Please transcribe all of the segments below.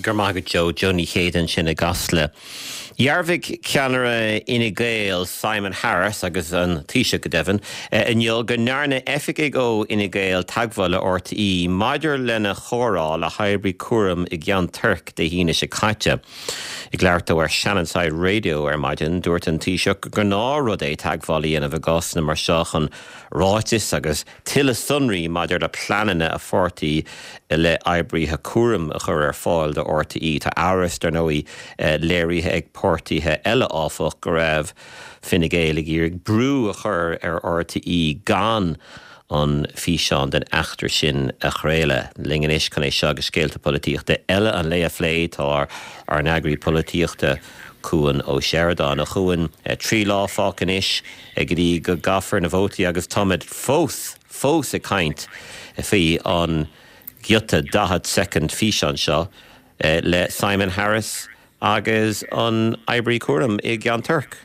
Go raibh maith agat Joe. Joe Ní Chéide ansin i gCasla. Dhearbhaigh ceannaire Fhine Gael, Simon Harris, agus an Taoiseach go deimhin, inniu go ndearna oifigigh ó Fhine Gael teagmháil le RTÉ maidir lena chomhrá le hoibrí cúraim i gCeann Toirc Dé hAoine seo caite. Ag labhairt dó ar Shannonside Radio ar maidin, dúirt an Taoiseach gur gnáthrud é teagmháil a dhéanamh i gcásanna mar seo chun ráitis agus tuilleadh sonraí maidir le pleananna a pháirtí i leith oibrithe cúraim a chur ar fáil do RTÉ. Tá amhras, dar ndóigh, léirithe ag páirtithe eile, áfach, go raibh Fine Gael ag iarraidh brú a chur ar RTÉ gan an físeán den eachtra sin a chraoladh. Linn anois chun é seo agus scéalta polaitíochta eile an lae a phlé tá ár n-eagraí polaitíochta, Cuan Ó Seireadáin. A Chuain, 3 lá fágtha anois go dtí go gcaithfear na vótaí agus táimid fós, fós ag caint faoi an giota 40 soicind físeán seo le Simon Harris agus an oibrí cúraim i gCeann Toirc.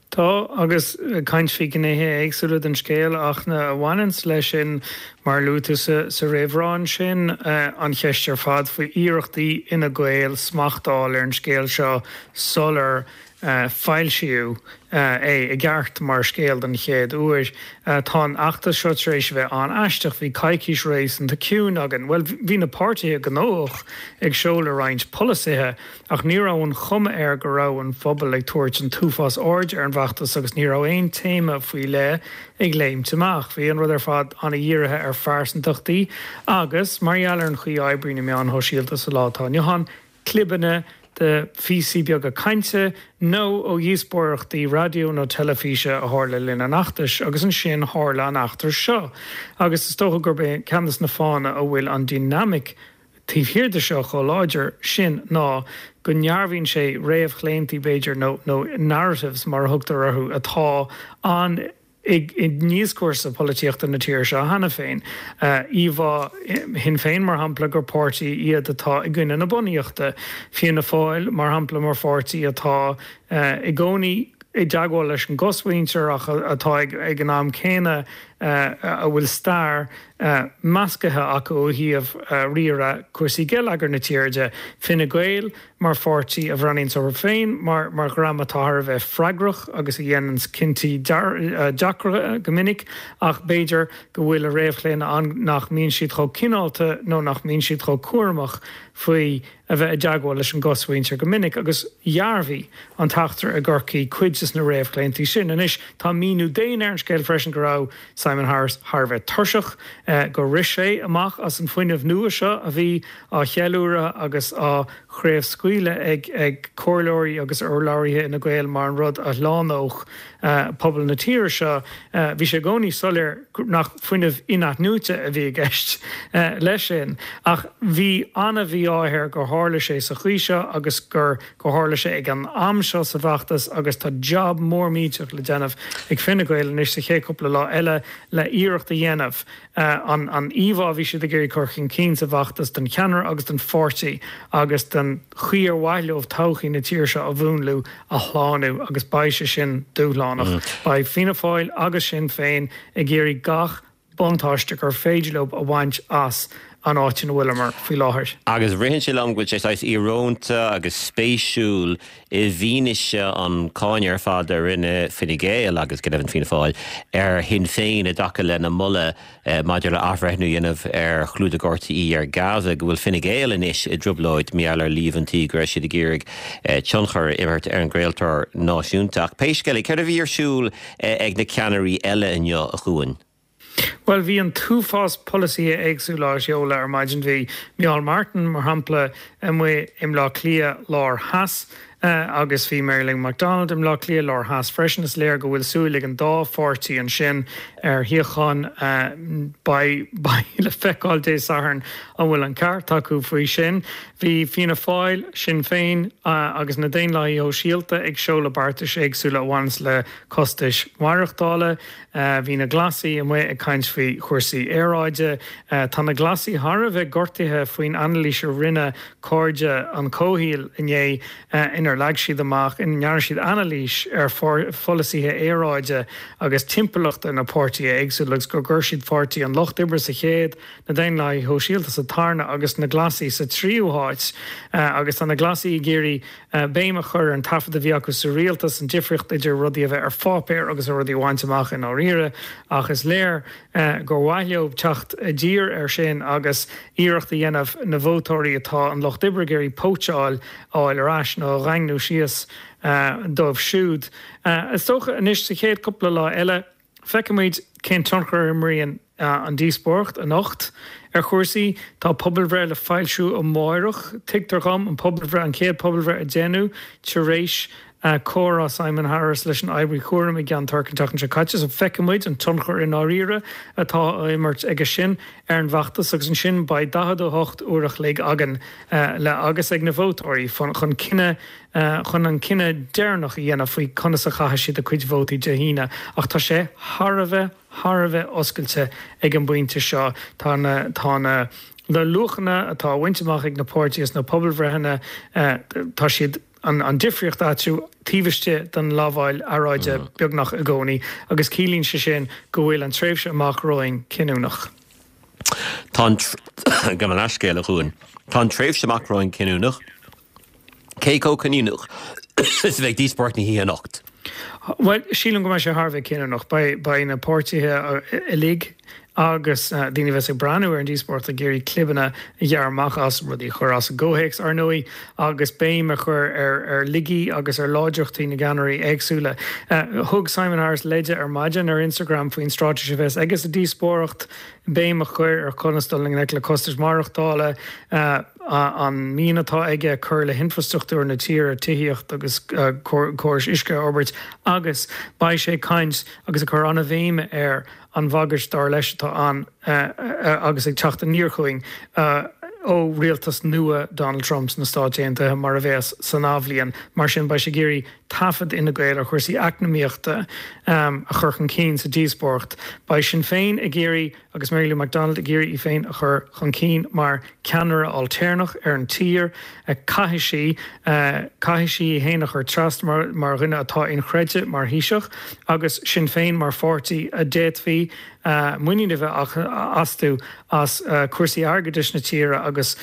Tá, agus ag caint faoi ghnéithe éagsúla den scéal ach na a bhaineanns leis sin, mar a luaigh tú sa réamhrá ansin, an cheist ar fad faoi iarrachtaí Fhine Gael smacht a fháil ar an scéal seo sular foilsíodh é i gceart mar scéal den chéad uair. Tá an fheachtas seo tar éis a bheith an-aisteach. Bhí coicís réasúnta ciúin againn. Bhuel, bhí na páirtithe gnóthach ag seoladh roinnt polasaithe, Ach ní raibh an chuma air go raibh an phobal ag tabhairt an t-uafás airde ar an bhfeachtas agus ní raibh aon téama faoi leith ag léimt amach. Bhí an rud ar fad an-dhírithe ar phearsantachtaí agus, mar gheall ar an chaoi a oibríonn na meáin shóisialta sa lá atá inniu ann, clibeanna de phíosaí beaga cainte nó ó dhíospóireachtaí raidió nó teilifíse a tharla le linn an fheachtais. Agus ansin tharla an eachtra seo. Agus is dócha gurb é ceann de na fáthanna a bhfuil an dinimic taobh thiar de seo chomh láidir sin ná go ndearbhaíonn sé réamhchlaontaí, b'fhéidir, nó nó narratives mar a thugtar orthu, atá ann i ndioscúrsa polaitíochta na tíre seo cheana féin. Íomhá Shinn Féin, mar shampla, gur páirtí iad atá i gcoinne na bunaíochta. Fianna Fáil, mar shampla, mar pháirtí atá i gcónaí i dteagmháil leis an gcosmhuintir ach atá ag an am céanna a bhfuil stair meascaithe acu ó thaobh riaradh cúrsaí geilleagair na tíre de. Fine Gael mar pháirtí a bhreathnaíonns orthu féin mar mar dhream atá thar a bheith freagrach agus a dhéananns cinntí deacra go minic ach b'fhéidir go bhfuil a réamhchlaonadh ann nach mbíonn siad chomh cineálta nó nach mbíonn siad chomh cúramach faoi a bheith i dteagmháil leis an gcosmhuintir go minic agus dhearbhaigh an t-eachtra i gCorcaigh cuid des na réamhchlaontaí sin. Anois, tá míniú daonna ar an scéal freisin go raibh Simon Harris thar a bheith tuirseach, gur rith sé amach as an fuinneamh nua seo a bhí á cheiliúradh agus á chraobhscaoileadh ag comhairleoirí agus urlabhraithe Fhine Gael mar an rud a shlánódh pobal na tíre seo. Bhí sé i gcónaí soiléir nach fuinneamh in-athnuaite a bhí i gceist leis sin ach bhí an-mhí-ádh air gur tharla sé sa chaoi seo agus gur gur tharla sé ag an am seo sa bhfeachtas agus tá jab mór millteach le déanamh ag Fine Gael anois sa chéad chúpla lá eile le iarracht a dhéanamh an an íomhá a bhí siad ag iarraidh cur chun cinn sa bhfeachtas don cheannaire agus don pháirtí agus don chaoi ar mhaith leo todhchaí na tíre seo a mhúnlú a shlánú agus beidh sé sin dúshlánach. Beidh Fianna Fáil agus Sinn Féin ag iarraidh gach buntáiste gur féidir leo a bhaint as an áit ina bhfuileamar faoi láthair. Agus ritheann sé liom go bhfuil sé saghas íorónta agus spéisiúil i bhfianaise an cáineadh ar fad a rinne Fine Gael agus go deimhin Fianna Fáil ar Shinn Féin i dtaca lena moladh maidir le athbhreithniú a dhéanamh ar chlúdach RTÉ ar Gaza, go bhfuil Fine Gael anois i dtrioblóid mar gheall ar líomhaintí go raibh siad ag iarraidh tionchar a imirt ar an gcraoltóir náisiúnta. Ach pé scéal é, céard a bhí ar siúl ag na ceannairí eile inniu, a Chuain? Bhuel, bhí an t-uafás polasaithe éagsúla á seoladh ar maidin. Bhí Micheál Martin, mar shampla, amuigh i mBleá Cliath Lár Theas agus bhí Mary Lou McDonald i mBleá Cliath Lár Theas freisin. Is léir go bhfuil súil ag an dá pháirtí ansin ar shuíocháin. Beidh le feiceáil Dé Sathairn an bhfuil an ceart acu faoi sin. Bhí Fianna Fáil, Sinn Féin agus na Daonlathaithe Shóisialta ag seoladh beartais éagsúla a bhaineanns le costais mhaireachtála. Bhí na Glasaigh amuigh ag caint faoi. faoi chúrsaí aeráide. Tá na Glasaigh thar a bheith gortaithe faoin anailís a rinne Cairde an Chomhshaoil inné inar leag siad amach, ina ndearna siad anailís ar pholasaithe aeráide agus timpeallachta na páirtithe éagsúla agus gur chuir siad Páirtí an Lucht Oibre sa chéad, na Daonlathaithe Shóisialta sa tarna agus na Glasaigh sa tríú háit. Agus tá na Glasaigh ag iarraidh béim a chur ar an taifead a bhí acu sa rialtas, an difríocht idir rudaí a bheith ar pháipéar agus rudaí a bhaint amach i ndáiríre. Ach is léir gur mhaith leo teacht i dtír air sin agus iarracht a dhéanamh na vótóirí atá an Lucht Oibre ag iarraidh póitseáil a fháil ar ais nó a dhaingniú síos dóibh siúd. Is dócha anois sa chéad cúpla lá eile, Feicfimid cén tionchar a imríonn an díospóireacht anocht ar chúrsaí. Tá pobalbhreith le foilsiú amáireach, tuigtear dhom, an pobalbhreith, an chéad pobalbhreith a déanadh tar éis comhrá Simon Harris leis an oibrí cúraim i gCeann Toirc an tseachtain seo caite. So feicfimid an tionchar i ndáiríre atá á imirt aige sin ar an bhfeachtas agus ansin beidh 48 uair a chloig againn le agus ag na vótóirí chun cinneadh chun an cinneadh deireanach a dhéanamh faoi conas a chaithfidh siad a gcuid vótaí Dé hAoine. Ach tá sé thar a bheith, thar a bheith oscailte ag an bpointe seo. Tá na, tá na, na luachanna atá á bhaint amach ag na páirtithe sna pobalbhreitheanna, tá siad, an, an difríocht eatarthu taobh istigh den lamháil aeráide beagnach i gcónaí agus ciallaíonn sé sin go bhfuil an tréimhse amach romhainn cinniúnach. Tá an, gabh mo leithscéal, a Chuain. Tá an tréimhse amach romhainn cinniúnach. Cé chomh cinniúnach is a bheidh díospóireacht na hoíche anocht? Bhuel, sílim go mbeidh sé thar a bheith cinniúnach. Beidh na páirtithe uilig agus daoine a bheas ag breathnú ar an díospóireacht ag iarraidh clibeanna a ghearradh amach as, rudaí a chur as a gcomhthéacs, ar ndóigh, agus béim a chur ar laigí agus ar láidreachtaí na gceannairí éagsúla. Thug Simon Harris leide ar maidin ar Instagram faoin straitéis a bheas aige sa díospóireacht, béim a chur ar conas dul i ngleic le costais mhaireachtála, an mian atá aige cur le hinfrastruchtúr na tíre, tithíocht agus córais uisce a fhorbairt agus beidh sé ag caint agus ag cur an-bhéim ar an bhagairt dar leis atá ann agus ag teacht aniar chugainn ó rialtas nua Donald Trump sna Stáit Aontaithe mar a bheas san athbhliain. Mar sin beidh sé ag iarraidh taifead Fhine Gael ar chúrsaí eacnamaíochta a chur chun cinn sa díospóireacht. Beidh Sinn Féin ag iarraidh agus Mary Lou McDonald ag iarraidh í féin a chur chun cinn mar cheannaire ailtéarnach ar an tír. Caithfidh sí, caithfidh sí í féin a chur trasna mar, mar dhuine atá inchreidte mar Thaoiseach agus Sinn Féin mar pháirtí a d'fhéadfaí muinín a bheith astu as cúrsaí airgeadais na tíre agus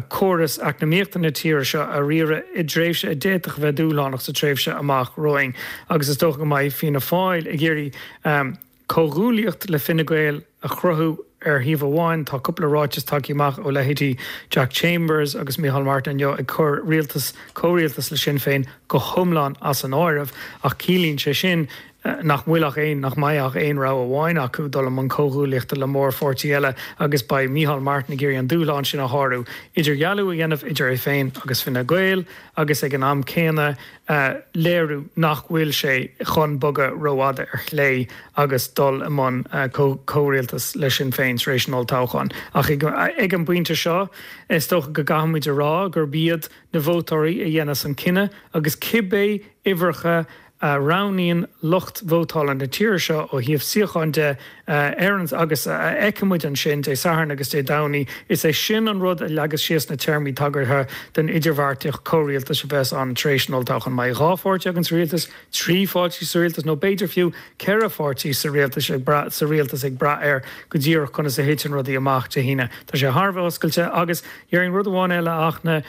córas eacnamaíochta na tíre seo a riaradh i dtréimhse a d'fhéadfadh a bheith dúshlánach sa tréimhse amach romhainn agus is dócha go mbeidh Fianna Fáil ag iarraidh Comhghuaillíocht le Fine Gael a chruthú ar thaobh amháin, tá cúpla ráiteas tagtha amach ó leithéidí Jack Chambers agus Micheál Martin inniu ag cur rialtas, comhrialtas le Sinn Féin go hiomlán as an áireamh, ach ciallaíonn sé sin nach bhfuil ach aon, nach mbeidh ach aon rogha amháin acu, dul i mbun comhghuaillíochta le mórpháirtí eile agus beidh Micheál Martin ag iarraidh an dúshlán sin a shárú, idirdhealú a dhéanamh idir é féin agus Fine Gael agus ag an am céanna a léiriú nach bhfuil sé chun bogadh rófhada ar chlé agus dul i mbun comhrialtas le Sinn Féin tar éis an olltoghcháin. Ach ag an bpointe seo, is dócha go gcaithfimid a rá gurb iad na vótóirí a dhéanfas an cinneadh agus cibé uimhreacha a roghnaíonn lucht vótála na tíre seo ó thaobh suíocháin de ar an agus a fheicfimid ansin Dé Sathairn agus Dé Domhnaigh, is é sin an rud a leagas síos na téarmaí tagartha don idirbheartaíocht comhrialtais a bheas ann tar éis an olltoghcháin. Mbeidh 2 pháirtí againn sa rialtas, 3 pháirtí sa rialtas nó b'fhéidir fiú 4 pháirtí sa rialtas ag brath sa rialtas ag brath ar go díreach conas a thiteann rudaí amach Dé hAoine. Tá sé thar a bheith oscailte agus déarfainn rud amháin eile ach na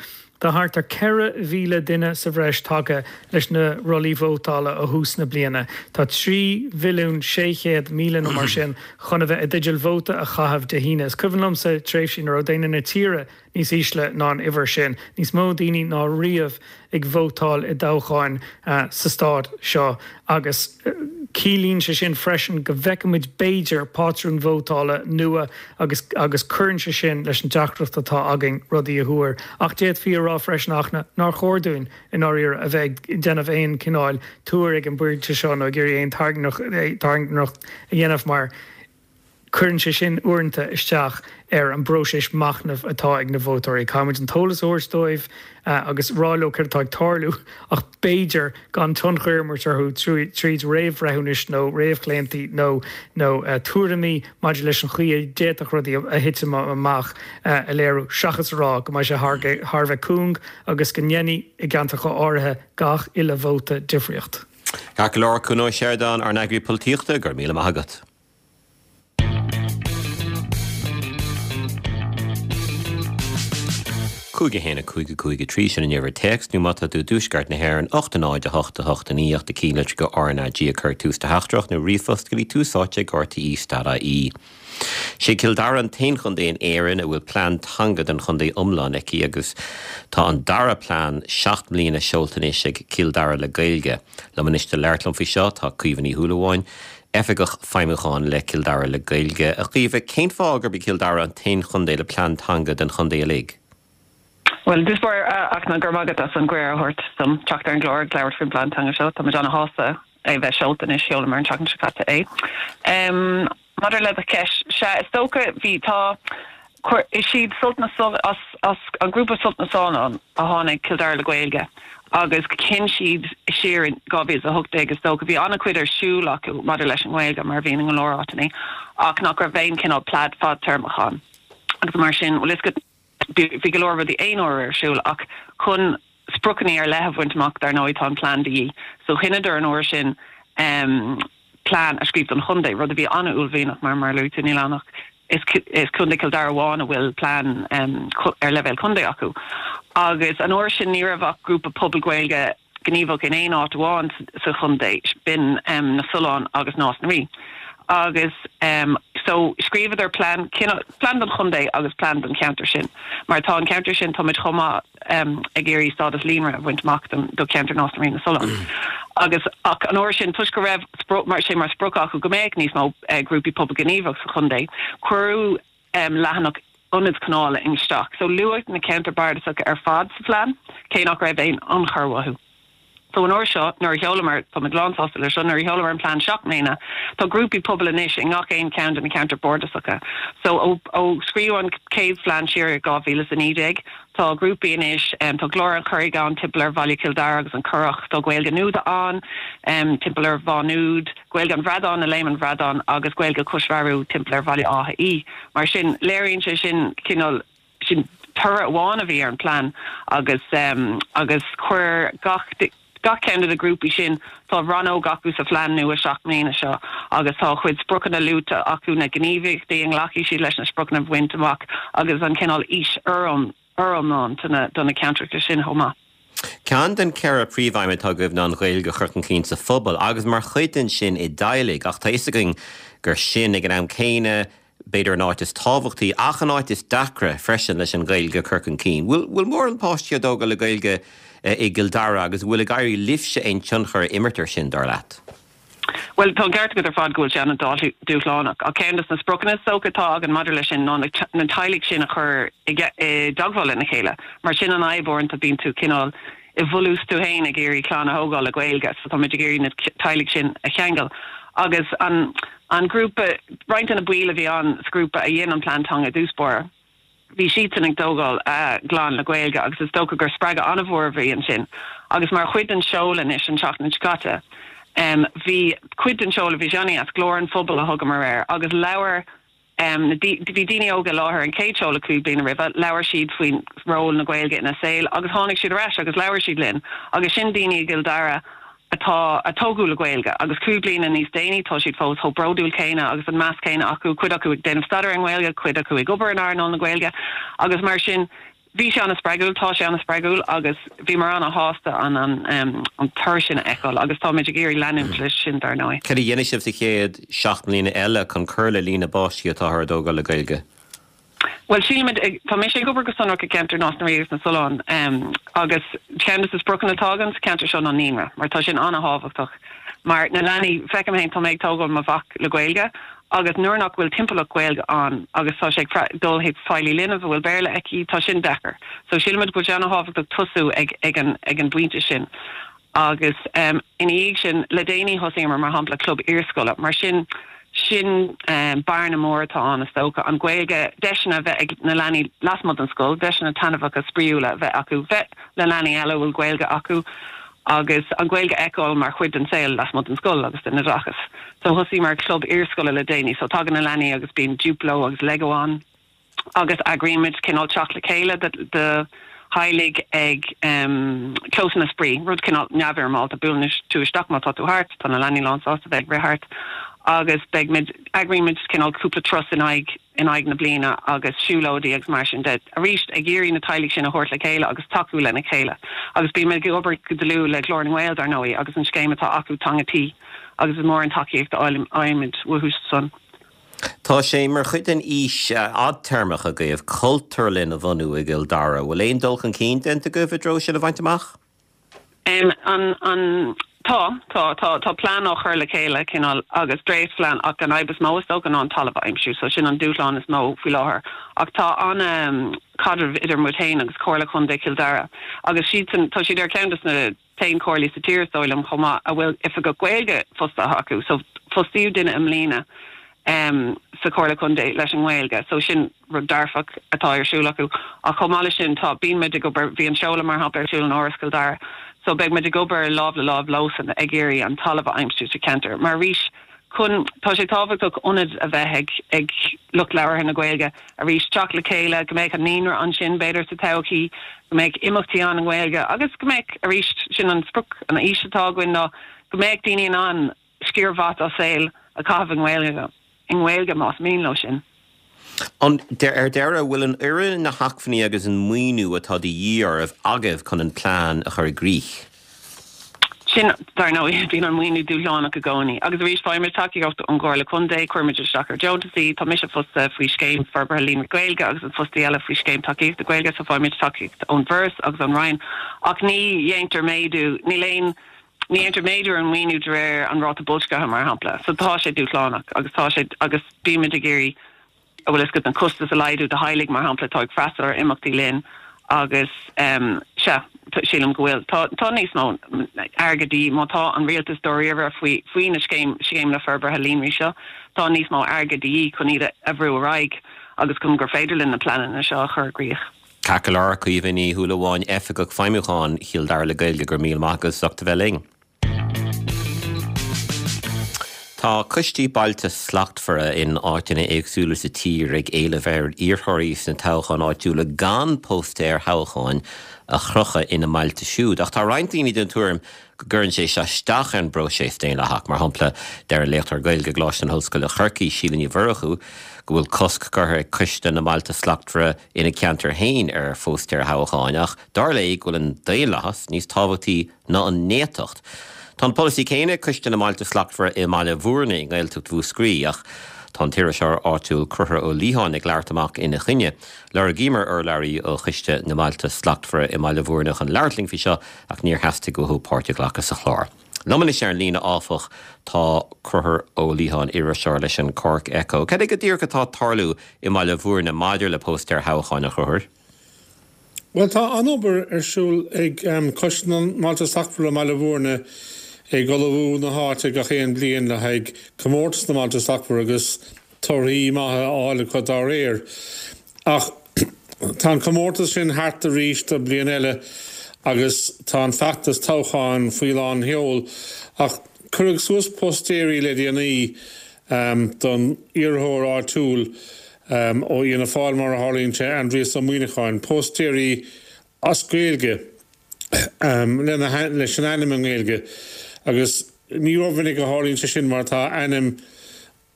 Tá thart ar 4,000 duine sa bhreis tagtha leis na rollaí vótála ó thús na bliana. Tá 3,600,000 nó mar sin chun a bheith i dteideal vóta a chaitheamh Dé hAoine. Is cuimhin liomsa tréimhsí ina raibh daonra na tíre níos ísle ná an uimhir sin, níos mó daoine ná riamh ag vótáil i dtoghcháin sa stát seo agus ciallaíonn sé sin freisin go bhfeicfimid b'fhéidir pátrún vótála nua agus agus cuireann sé sin leis an deacracht atá againn rudaí a thuar. Ach d'fhéadfaí a rá freisin ach nár chóir dúinn i ndáiríre a bheith ag déanamh aon chineáil tuar ag an bpointe seo nó ag iarraidh aon tairngreacht a dhéanamh mar. Cuireann sé sin uaireanta isteach ar an bpróiseas machnaimh atá ag na vótóirí. Caithfimid an t-eolas a thabhairt dóibh agus rá leo céard atá ag tarlú ach b'fhéidir gan tionchar a imirt orthu tríd réamhbhreithiúnais nó réamhchlaontaí nó nó tuairimí maidir leis an chaoi a d'fhéadfadh rudaí a thitim amach a léiriú seachas a rá go mbeidh sé thar a bheith cúng agus go ndéanfaidh i gceantracha áirithe gach uile vóta difríocht. Ceart go leor, Cuan Ó Seireadáin, ár n-eagraí polaitíochta, go raibh míle maith agat. 5 1 5 5 3, sin an uimhir téacs, nó má tá tú i dtuaisceart na hÉireann, 8 0 8 8 9 8 na cinnlitreacha RnaG ag cur tús do theachtaireacht nó ríomhphost go dtí tús áite ag rte stad ie. Sé Cill Dara an t-aon chontae in Éirinn a bhfuil plean teanga don chontae iomlán aici agus tá an dara plean 7 mbliana seolta anois ag Cill Dara le Gaeilge. Liom anois le labhairt liom faoi seo tá Caoimhe Ní Shúilleabháin, Oifigeach Feidhmiúcháin le Cill Dara le Gaeilge. A Chaoimhe, cén fáth gurb í Cill Dara an t-aon chontae le plean teanga don chontae uilig? Bhuel, i dtús báire, a Fhachtna, go raibh maith agat as an gcuireadh a thabhairt dom teacht ar an gclár agus labhairt faoin bplean teanga seo. Tá muid ana-shásta é a bheith seolta anois, sheolamar an tseachtain seo caite é. Maidir le do cheist, sea, is dócha, bhí, tá, chuir, is iad Sult na, as, as an grúpa Sult na Sollán a tháinig Cill Dara le Gaeilge agus chinn siad siar in 2018 is dócha, bhí an-chuid ar siúl acu maidir leis an nGaeilge mar a bhíonn i go leor áiteanna ach nach raibh aon chineál plean fadtéarmach ann agus mar sin, bhuel is go, bhí go leor rudaí aon uaire ar siúl ach chun spriocanna ar leith a bhaint amach dar ndóigh tá an plean de dhíth. So chinneadar an uair sin plean a scríobh don chontae, rud a bhí an-uaillmhianach mar mar a luaigh tú níl ann ach is is Contae Chill Dara amháin a bhfuil plean ar leibhéal contae acu. Agus an uair sin ní raibh ach grúpa pobail Gaeilge gníomhach in aon áit amháin sa chontae, b'in na Solláin agus Nás na Rí. Agus so scríobhadar plean, plean don chontae agus plean don cheantar sin. Mar tá an ceantar sin, táimid chomh maith ag iarraidh stádas líonra a bhaint amach do cheantar Nás na Rí na Sollán. Agus ach an uair sin, toisc go raibh mar sé mar sprioc acu go mbeadh níos mó grúpaí pobail gníomhach sa chontae, cuireadh leathanach ionaid coinneála isteach. So luadh na ceantair bardasacha ar fad sa phlean, cé nach raibh aon ionchur uathu. So an uair seo, nuair a sheolamar, tá muid lánsásta leis seo, nuair a sheolamar an plean 7 mbliana, tá grúpaí pobail anois i ngach aon cheann de na ceantair bardasacha. So ó ó scríobhadh an chéad phlean siar i 2019, tá grúpaí anois, tá Glór an Churraigh ann timpeall ar Bhaile Chill Dara agus an Currach, tá Gaeilge Nuada ann timpeall ar Mhá Nuad, Gaeilge an Bhradáin i Léim an Bhradáin agus Gaeilge Chois Bhearú timpeall ar Bhaile Átha Í. Mar sin, léiríonn sé sin cineál, sin toradh amháin a bhí ar an bplean agus agus chuir gach gach ceann de na grúpaí sin, tá rannóg acu sa phlean nua 7 mbliana seo agus tá a chuid spriocanna luaite acu, na gníomhaíochtaí a nglacfaidh siad leis na spriocanna a bhaint amach agus an cineál fhís fhoriomlán do na ceantracha sin chomh maith. Ceann den cheithre príomhaidhm atá agaibh ná an Ghaeilge a chur chun cinn sa phobal agus mar chuid den sin i dteaghlaigh ach tá a fhios againn gur sin ag an am céanna b'fhéidir an áit is tábhachtaí ach an áit is deacra freisin leis an Ghaeilge a chur chun cinn. Bhfuil bhfuil mórán páistí á dtógáil le Gaeilge i gCill Dara agus an bhfuil ag éirí libhse aon tionchar a imirt ar sin, dar leat? Bhuel, tá an ceart agat ar fad go bhfuil sé an-dúshlánach, ach ceann de na spriocanna is dócha atá againn maidir leis sin ná na teaghlaigh sin a chur i dteagmháil lena chéile, mar sin an fhadhb uaireanta, bíonn tú cineál i bhfolús tú féin ag iarraidh clann a thógáil le Gaeilge, so táimid ag iarraidh na teaghlaigh sin a cheangal. Agus an an grúpa, roinnt de na baill a bhí ann sa ghrúpa a dhein an plean teanga i dtús báire, Bhí siadsan ag tógáil a gclann le Gaeilge agus is dócha gur spreagadh an-mhór a bhí ansin. Agus mar chuid den seoladh anois an tseachtain seo caite, bhí cuid den seoladh, bhí sé an-dheas, Glór an Phobail a thugamar air, agus labhair na, bhí daoine óga i láthair an chéad seoladh cúig bliana roimhe, labhair siad faoin ról na Gaeilge ina saol agus tháinig siad ar ais agus labhair siad linn agus sin daoine i gCill Dara atá, a tógadh le Gaeilge agus cúig bliana níos déanaí tá siad fós chomh bródúil céanna agus an meas céanna acu, cuid acu ag déanamh staidéar ar an nGaeilge, cuid acu ag obair in earnáil na Gaeilge agus mar sin bhí sé an-spreagúil, tá sé an-spreagúil agus bhíomar an-shásta an an an toradh sin a fheiceáil agus táimid ag iarraidh leanúint leis sin dar ndóigh. Cad a dhéanfaidh sibh sa chéad 7 mbliana eile chun cur le líon na bpáistí atáthar a dtógáil le Gaeilge? Bhuel, sílimid, tá mise ag obair go sonrach i gceantar Nás na Rí agus na Sollán agus ceann de na spriocanna atá againn sa cheantar seo ná naíonra mar tá sin an-thábhachtach mar na leanaí, feicim féin, tá mé ag tógáil mo mhac le Gaeilge agus nuair nach bhfuil timpeallacht Ghaeilge ann agus tá sé ag dul chuig feighlí linbh a bhfuil Béarla aici, tá sin deacair. So sílimid go bhfuil sé an-thábhachtach tosú ag ag an ag an bpointe sin agus ina dhiaidh sin, le déanaí thosaíomar mar shampla club iarscoile mar sin. Sin bearna mór atá ann, is dócha, an Ghaeilge, deiseanna a bheith ag na leanaí lasmuigh den scoil, deiseanna taitneamhacha spraíúla a bheith acu, bheith le leanaí eile a bhfuil Gaeilge acu agus an Ghaeilge a fheiceáil mar chuid den saol lasmuigh den scoil agus den oideachas. So thosaíomar club iarscoile le déanaí, so tagann na leanaí agus bíonn Duplo agus Lego ann. agus eagraímid cineál teacht le chéile do theaghlaigh ag clósanna spraoi, rud cineál neamhfhoirmeálta, buaileann tú isteach má tá tú thart, tá na leanaí lán sásta bheith ag rith thart agus beidh muid, eagraímid cineál cúpla turas in aghaidh in aghaidh na bliana agus siúlóidí agus mar sin de, arís ag iarraidh na teaghlaigh sin a thabhairt le chéile agus tacú lena chéile. Agus bímid ag obair go dlúth le Glór na nGael dar ndóigh agus an scéim atá acu Teanga Tí agus is mór an tacaíocht a fhaighimid uathu san. Tá sé mar chuid den fhís fhadtéarmach agaibh cultúrlann a bhunú i gCill Dara. Bhfuil aon dul chun cinn déanta agaibh i dtreo sin a bhaint amach? An, an, tá, tá, tá, tá plean á chur le chéile, cineál, agus dréachtphlean ach an fhadhb is mó is dócha ná an talamh a aimsiú, so sin an dúshlán is mó faoi láthair. Ach tá an-chaidreamh idir muid féin agus Comhairle Chontae Chill Dara agus siadsan, tá siad ar cheann de na t-aon chomhairlí sa tír is dóigh liom chomh maith a bhfuil oifigeach Gaeilge fostaithe acu. So fostaíodh duine i mbliana sa Chomhairle Contae leis an nGaeilge. So sin rud dearfach atá ar siúl acu. Ach chomh maith leis sin tá, bíonn muid ag obair, bhí an seoladh mar shampla ar siúl in Áras Chill Dara. So beidh muid ag obair lámh le lámh leosan ag iarraidh an talamh a aimsiú sa cheantar. Mar arís chun, tá sé tábhachtach ionad a bheith ag ag lucht labhartha na Gaeilge arís teacht le chéile, go mbeadh an naíonra ansin b'fhéidir sa todhchaí, go mbeadh imeachtaí ann i nGaeilge agus go mbeadh, arís, sin an sprioc, an fhís atá againn ná go mbeadh daoine in ann sciar mhaith dá saol a chaitheamh i nGaeilge, i nGaeilge más mian leo sin. Ar deireadh, bhfuil an fhoireann, na hacmhainní agus an maoiniú atá de dhíth oraibh agaibh chun an plean a chur i gcrích? Sin, dar ndóigh, bíonn an maoiniú dúshlánach i gcónaí. Agus arís, faighimid tacaíocht ón gComhairle Contae, cuirimid isteach ar deontasaí, tá mise fostaithe faoi Scéim Forbartha Líonraí Gaeilge agus an fostaí eile faoi Scéim Tacaíochta Gaeilge, so faighimid tacaíocht ón bhForas agus ón Roinn. Ach ní dhéantar méadú, níl aon, ní dhéantar méadú ar an maoiniú de réir an ráta boilscithe, mar shampla. So tá sé dúshlánach agus tá sé, agus bímid ag iarraidh, a bhfuil fhios agat, na costais a laghdú do theaghlaigh, mar shampla, atá ag freastal ar imeachtaí linn agus sea, sílim go bhfuil, tá, tá níos mó airgid de dhíth, má tá an rialtas dáiríre faoi, faoi na scéim, scéimeanna forbartha líonraí seo, tá níos mó airgid de dhíth chun iad a bhrú ar aghaidh agus chun gur féidir linn na pleananna seo a chur i gcrích. Ceart go leor, Caoimhe Ní Shúilleabháin, Oifigeach Feidhmiúcháin Chill Dara le Gaeilge, go raibh míle maith agat as ucht a bheith linn. Tá coistí Bailte Slachtmhara in áiteanna éagsúla sa tír ag éileamh ar iarrthóirí sna toghcháin áitiúla gan póstaeir thoghcháin a chrochadh ina mbailte siúd. Ach tá roinnt daoine den tuairim go gcuireann sé seo isteach ar an bpróiseas daonlathach. Mar shampla, deir an léachtóir Gaeilge i gColáiste na hOllscoile Corcaigh, Síle Ní Mhurchú, go bhfuil cosc curtha ag Coiste na mBailte Slachtmhara ina ceantar féin ar phóstaeir thoghcháin ach dar léi go bhfuil an daonlathas níos tábhachtaí ná an néatacht. Tá an polasaí céanna ag Coiste na mBailte Slachtmhara i mBaile Bhúirne i nGaeltacht Mhúscraí ach tá an t-iriseoir áitiúil Conchúr Ó Liatháin ag labhairt amach ina choinne. Lorgaíomar urlabhraí ó Choiste na mBailte Slachtmhara i mBaile Bhúirne chun labhairt linn faoi seo ach níor theastaigh uathu páirt a ghlacadh sa chlár. Liom anois ar an líne áfach tá Conchúr Ó Liatháin, iriseoir leis an Cork Echo. Cad é go díreach atá ag tarlú i mBaile Bhúirne maidir le póstaeir thoghcháin, a Chonchúir? Bhuel, tá an-obair ar siúl ag Coiste na mBailte Slachtmhara i mBaile Bhúirne ag ullmhú na háite gach aon bliain le haghaidh Comórtas na mBailte Slachtmhara agus torthaí maithe a fháil acu dá réir. Ach tá an comórtas sin thart arís do bliain eile agus tá an feachtas toghcháin faoi lán sheol. Ach cuireadh suas póstaeirí le déanaí don iarrthóir áitiúil ó Fhianna Fáil, mar a tharlaíonn sé, Aindrias Ó Muíneacháin, póstaeirí as Gaeilge lena leis an ainm i nGaeilge agus ní rómhinic a tharlaíonn sé sin mar tá ainm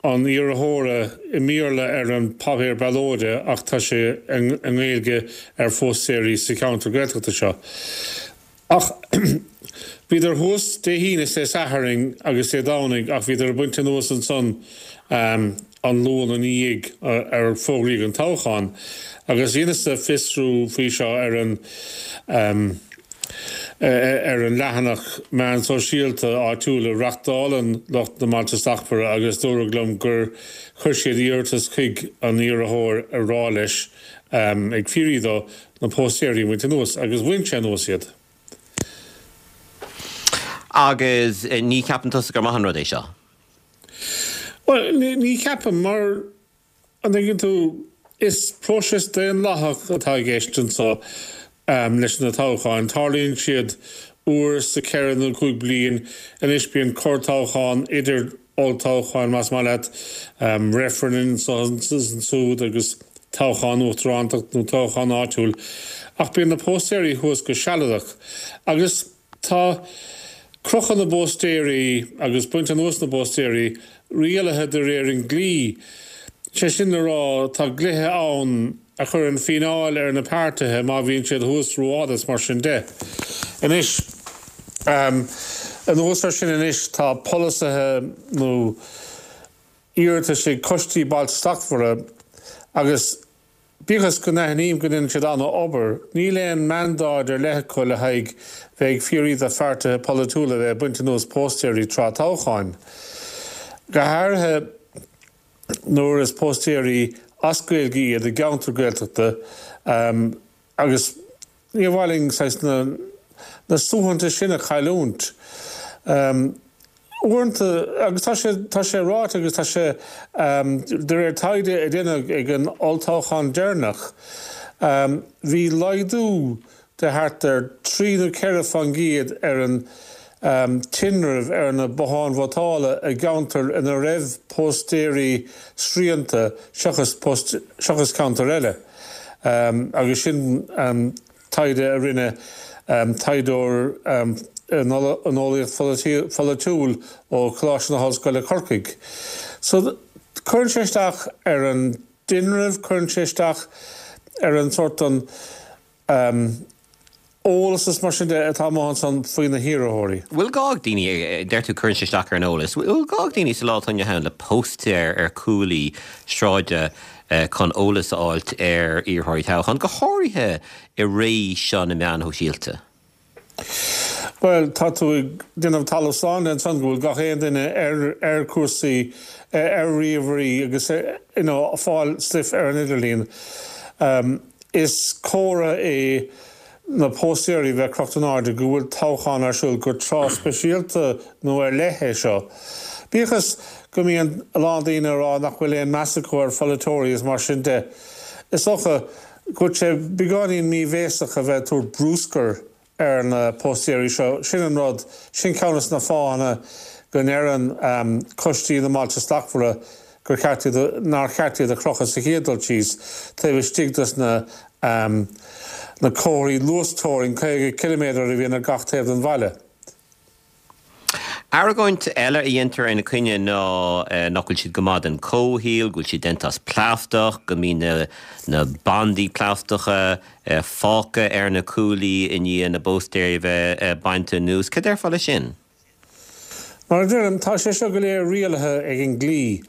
an iarrthóra i mBéarla ar an bpáipéar ballóide ach tá sé i nGaeilge ar phóstaeirí sa cheantar Gaeltachta seo. Ach bhíodar thuas Dé hAoine is Dé Sathairn agus Dé Domhnaigh ach bhíodar ag baint anuas ansan an Luan ina dhiaidh ar fógraíodh an toghchán. Agus dheineas-sa fiosrú faoi seo ar an ar an leathanach meán sóisialta áitiúil a reachtálann lucht na mBailte Slachtmhara agus dúradh liom gur chuir siad iarratas chuig an iarrthóir ag rá leis ag fiafraí dó na póstaeirí a bhaint anuas agus bhain sé anuas iad. Agus ní cheapann tusa gur maith an rud é seo? Bhuel, ní cheapaim, mar, an dtuigeann tú, is próiseas daonlathach atá i gceist anseo leis na toghcháin. Tarlaíonn siad uair sa cheithre nó chúig bliain. Anois bíonn corrtoghchán idir olltoghcháin, más maith leat, reifreann anso is ansúd agus toghchán uachtaránachta nó toghchán áitiúil. Ach bíonn na póstaeirí thuas go sealadach. Agus. Tá crochadh na bpóstaeirí agus baint anuas na bpóstaeirí rialaithe de réir an dlí. Sé sin le rá, tá dlíthe ann a chuireann fíneáil ar na páirtithe má bhíonn siad thuas rófhada is mar sin de. Anois, anuas ar sin anois, tá polasaithe nó iarratais ag coistí Bailte Slachtmhara agus, Bíodh is go n-aithním go ndéanann siad an-obair, níl aon mandáid ar leith acu le haghaidh bheith ag fiafraí de pháirtithe polaitiúla bheith ag baint anuas póstaeirí tráth toghcháin. Go háirithe nuair is póstaeirí as Gaeilge iad i gceantar Gaeltachta agus níor mhaith linn saghas na na suaitheantais sin a chailliúint. Uaireanta, agus tá sé, tá sé ráite agus tá sé, de réir taighde a deineadh ag an olltoghchán deireanach, bhí laghdú de thart ar 3 nó 4 fán gcéad ar an tinreamh ar na botháin vótála i gceantair ina raibh póstaeirí srianta seachas, seachas ceantair eile. Agus sin. taighde a rinne taighdeoir in eolaíocht pholaitiúil ó Choláiste na hOllscoile Corcaigh. So, cuireann sé isteach ar an dtinreamh, cuireann sé isteach ar an sórt an eolas is mar sin de atá amuigh ansan faoi na hiarrthóirí. Bhfuil gá ag daoine, deir tú cuireann sé isteach ar an eolas, bhfuil gá ag daoine sa lá atá inniu ann le póstaeir ar chuaillí sráide chun eolas a fháilt ar iarrthóirí toghcháin, go háirithe i ré seo na meán shóisialta? Bhuel, tá tú ag déanamh talamh slán de ansan go bhfuil gach aon duine ar ar chúrsaí, ar ríomhairí agus you know fáil stuif ar an idirlíon. Is comhartha é na póstaeirí bheith crochta in airde go bhfuil toghchán ar siúl, gur tráth speisialta nó ar leith é seo. Bíodh is go mbíonn a lán daoine ag rá nach bhfuil aon meas acu ar pholaiteoirí is mar sin de, is dócha go bhfuil sé beagáinín míbhéasach a bheith ag tabhairt brúscair ar na póstaeirí seo. Sin an rud, sin ceann des na fáthanna go ndeireann coistí na mBailte Slachtmhara gur cheart iad a, nár cheart iad a chrochadh sa chéad dul síos, taobh istigh dos na na comharthaí luasteorann 50 ciliméadar a bhíonn ar gach taobh den bhaile. Argóint eile a dhéantar ina coinne ná nach bhfuil siad go maith don chomhshaol, go bhfuil siad déanta as plaisteach, go mbíonn na na bandaí plaisteacha fágtha ar na cuaillí i ndiaidh na bpóstaeirí a bheith bainte anuas. Cad déarfá leis sin? Mar a deirim, tá sé seo go léir rialaithe ag an dlí.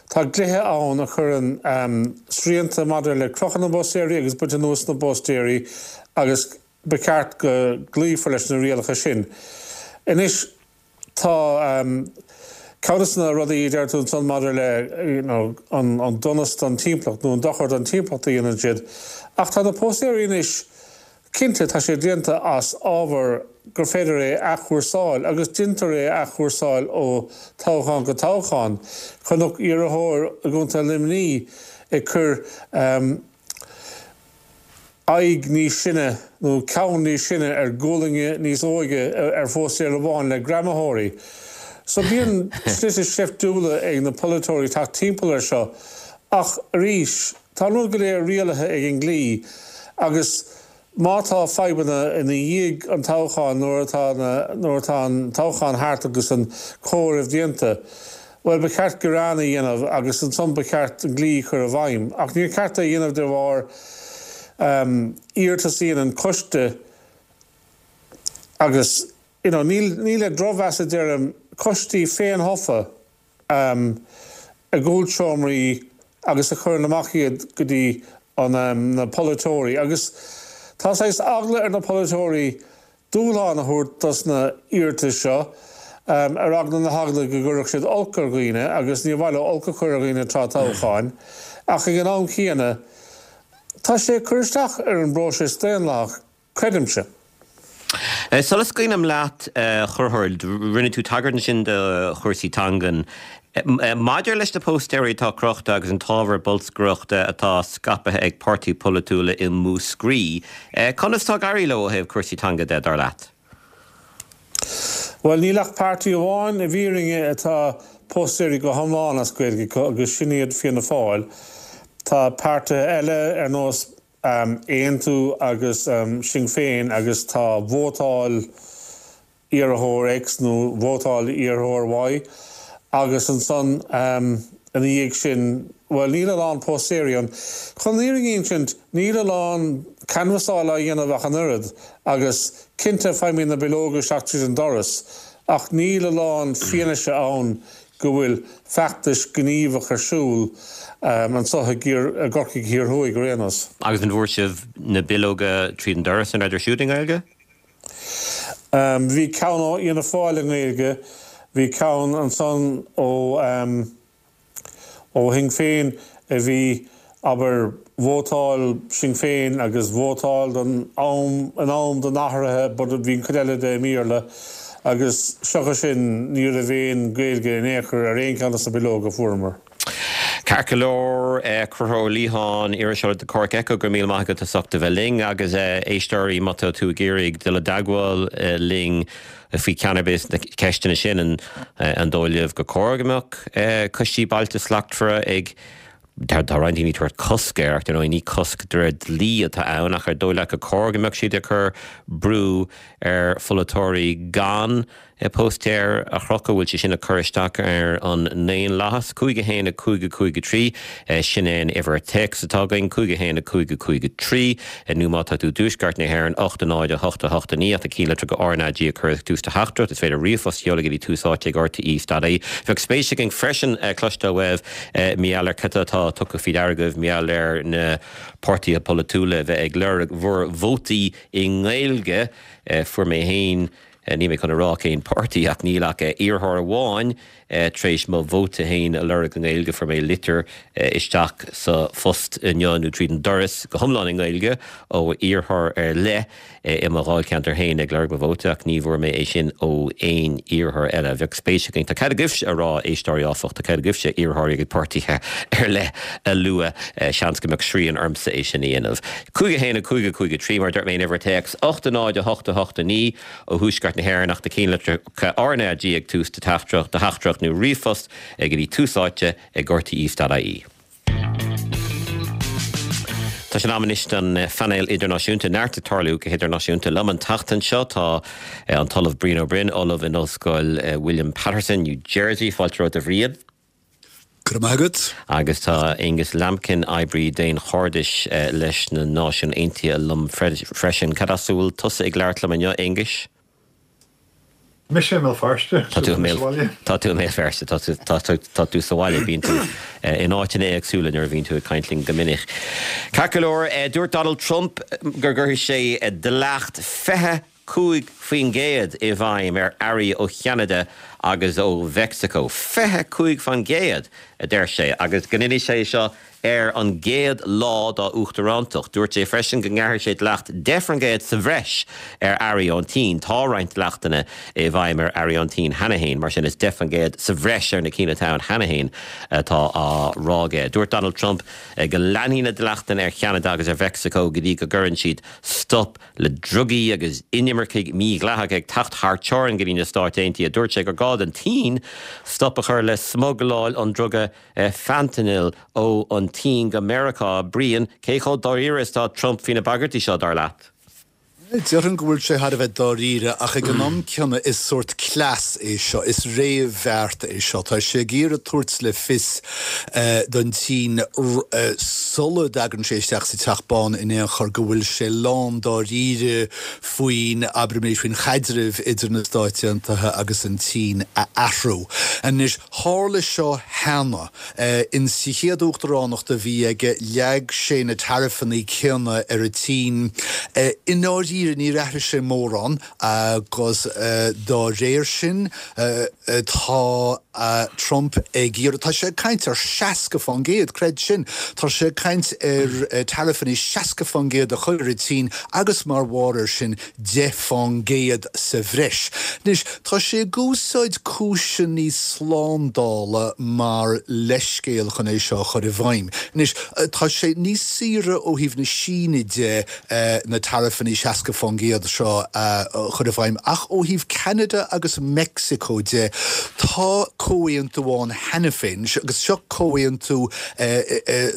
Tá dlíthe ann a chuireann srianta maidir le crochadh na bpóstaeirí agus baint anuas na bpóstaeirí agus ba cheart go gcloífear leis na rialacha sin. Anois, tá ceann de na rudaí a deir tú ansan maidir le you know an donas don timpeallacht nó an dochar don timpeallacht a dhéanann siad ach tá na póstaeirí anois Cinnte, tá sé déanta as ábhar gur féidir é a athchúrsáil, agus déantar é a athchúrsáil ó toghchán go toghchán. Chonac iarrthóir i gContae Luimnigh ag cur aghaidh níos sine nó ceann níos sine ar ghualainn níos óige ar phóstaer amháin le greamaitheoirí. So bíonn slite seiftiúla ag na polaiteoirí teacht timpeall air seo ach arís, Tá an rud go léir rialaithe ag an dlí agus má tá fadhbanna ina dhiaidh an toghcháin, nuair atá na, nuair atá an toghchán thart agus an comhaireamh déanta, bhuel, ba cheart gearán a dhéanamh agus ansan ba cheart an dlí a chur i bhfeidhm. Ach níor cheart é a dhéanamh de bharr iarratas a dhéanann coiste agus, you know, níl, ní le drochmheas a deirim, coistí féin-thofa. i gcúlseomraí agus a chuireann amach iad go dtí na polaiteoirí agus tá saghas eagla ar na polaiteoirí dúshlán a thabhairt dos na iarratais seo ar eagla na heagla go gcuirfeadh siad olc ar dhaoine agus níor mhaith leo olc a chur ar dhaoine tráth toghcháin ach ag an am céanna tá sé ag cur isteach ar an bpróiseas daonlathach, creidimse. Sula scaoilim leat, a Chonchúir, rinne tú tagairt ansin do chúrsaí teangan. Maidir leis na póstaeirí atá crochta agus an t-ábhar bolscaireachta atá scaipthe ag páirtithe polaitiúla i Múscraí, conas tá ag éirí leo ó thaobh cúrsaí teanga de, dar leat? Bhuel, níl ach páirtí amháin i bhfírinne atá póstaeirí go hiomlán as Gaeilge acu agus sin iad Fianna Fáil. Tá páirtithe eile ar nós Aontú agus Sinn Féin agus tá vótáil iarrthóir X nó vótáil iarrthóir Y agus ansan ina dhiaidh sin, bhuel níl a lán póstaeirí ann. Chun an fhírinne a insint, níl a lán canbhasáil á dhéanamh ach an oiread agus cinnte faighimid na bileoga isteach tríd an doras ach níl a lán fianaise ann go bhfuil feachtais gníomhach ar siúl anseo i gCorcaigh Thiar Thuaidh ar aon nós. Agus an bhfuair sibh na bileoga tríd an doras, an rabhadar siúd i nGaeilge? Bhí ceann ó Fhianna Fáil i nGaeilge, bhí ceann ansan ó ó Shinn Féin a bhí, abair, vótáil Sinn Féin agus vótáil don am, in am don athraithe but bhí an chuid eile de i mBéarla agus seachas sin ní raibh aon Gaeilge in aon chor ar aon cheann de na bileoga a fuaireamar. Ceart go leor, Conchúr Ó Liatháin, iriseoir le Cork Echo, go raibh míle maith agat as ucht a bheith linn agus éisteoirí má tá tú ag iarraidh dul i dteagmháil linn faoi cheann ar bith de na ceisteanna sin, an dóigh libh gur cóir go mbeadh coistí Bailte Slachtmhara ag Tá roinnt daoine ag tabhairt cosc air ach dar ndóigh ní cosc de réir dlí atá ann ach ar dóigh leat gur cóir go mbeadh siad ag cur brú ar pholaiteoirí gan póstaeir a chrochadh, bhfuil sé sin ag cur isteach ar an ndaonlathas? 5 1 5 5 3, sin é an uimhir téacs atá againn, 5 1 5 5 3, nó má tá tú i dtuaisceart na hÉireann, 8 0 8 8 9, ach na cinnlitreacha RnaG a chur ag tús do theachtaireacht. Is féidir ríomhphost a sheoladh go dtí Tús Áite ag RTÉ dot ie. Bheadh spéis againn freisin cloisteáil uaibh mar gheall ar cad atá tugtha faoi deara agaibh mar gheall ar na páirtithe polaitiúla a bheith ag lorg bhur vótaí i nGaeilge. Fuair mé féin Níl mé chun a rá cén páirtí ach níl ach iarrthóir amháin tar éis mo vóta féin a lorg i nGaeilge. Fuair mé litir isteach sa phost inniu, nó tríd an doras, go hiomlán i nGaeilge ó iarrthóir ar leith i mo dháilcheantar féin ag lorg mo vóta ach ní bhfuair mé é sin ó aon iarrthóir eile. Bheadh spéis againn. Tá cead agaibhse a rá, éisteoirí, áfach, tá cead agaibhse iarrthóirí agus páirtithe ar leith a lua. Seans go mbeadh srian ormsa é sin a dhéanamh. 5 1 5 5 3, mar a dúirt mé, an uimhir téacs, 8 0 8 8 9 ó thuaisceart na hÉireann ach na cinnlitreacha RnaG ag tús do theachtaireacht, do theachtaireacht nó ríomhphost go dtí Tús Áite ag rte.ie. Tá sé in am anois don phainéal idirnáisiúnta. Neart ag tarlú go hidirnáisiúnta. Liom an tseachtain seo tá an tOllamh Brian Ó Broin, Ollamh in Ollscoil William Paterson, New Jersey. Fáilte romhat a Bhriain. Go raibh maith agat. Agus tá Aonghus Lambkin, oibrí daonchairdis leis na Náisiúin Aontaithe liom freisin. Cad as a bhfuil tusa ag labhairt liom inniu, Aonghais? Mise i mBéal Feirste, so tá mé sa bhaile. Tá tú i mBéal Feirste, tá tú sa bhaile. Bíonn tú in áiteanna éagsúla nuair a bhíonn tú ag caint linn go minic. Ceart go leor, dúirt Donald Trump go gcuirfidh sé dleacht 25% i bhfeidhm ar earraí ó Cheanada agus ó Mheicsiceo. 25%, a deir sé, agus go ndéanfaidh sé seo ar an gcéad lá dá uachtarántacht. Dúirt sé freisin go ngearrfaidh sé dleacht 10% sa bhreis ar earraí ón tSín. Tá roinnt dleachtanna i bhfeidhm ar earraí ón tSín cheana féin, mar sin is 10% sa bhreis ar na cinn atá ann cheana féin atá á rá aige. Dúirt Donald Trump go leanfaidh na dleachtanna ar Cheanada agus ar Mheicsiceo go dtí go gcuireann siad stop le drugaí agus inimircigh mhídhleathacha ag teacht thar teorainn go dtí na Stáit Aontaithe. Dúirt sé gur gá don tSín stop a chur le smugláil an druga fentanyl ó an tSín go Meiriceá. Brian, cé chomh dáiríre is atá Trump faoi na bagairtí seo, dar leat? Déarfainn go bhfuil sé thar a bheith dáiríre, ach ag an am céanna is sórt cleas é seo, is réamhbheart é seo. Tá sé ag iarraidh tabhairt le fios don tSín sula dtagann sé isteach sa Teach Bán in aon chor go bhfuil sé lán dáiríre faoin, abraimis, faoin chaidreamh idir na Stáit Aontaithe agus an tSín a athrú. Anois, tharla seo cheana. In sa chéad uachtaránacht a bhí aige, leag sé na taraifeanna céanna ar an tSín. I ndáiríre. ndáiríre níor athraigh sé mórán agus dá réir sin tá Trump ag iarraidh, tá sé ag caint ar 60%, creid sin, tá sé ag caint ar taraifeanna 60% a chur ar an tSín agus mar bharr air sin 10% sa bhreis. Anois, tá sé ag úsáid cúiseanna slándála mar leithscéal chun é seo a chur i bhfeidhm. Anois, tá sé níos saoire ó thaobh na Síne de na taraifeanna 60% seo a chur i bhfeidhm ach ó thaobh Ceanada agus Meicsiceo de, tá comhaontú ann cheana féin, agus seo comhaontú,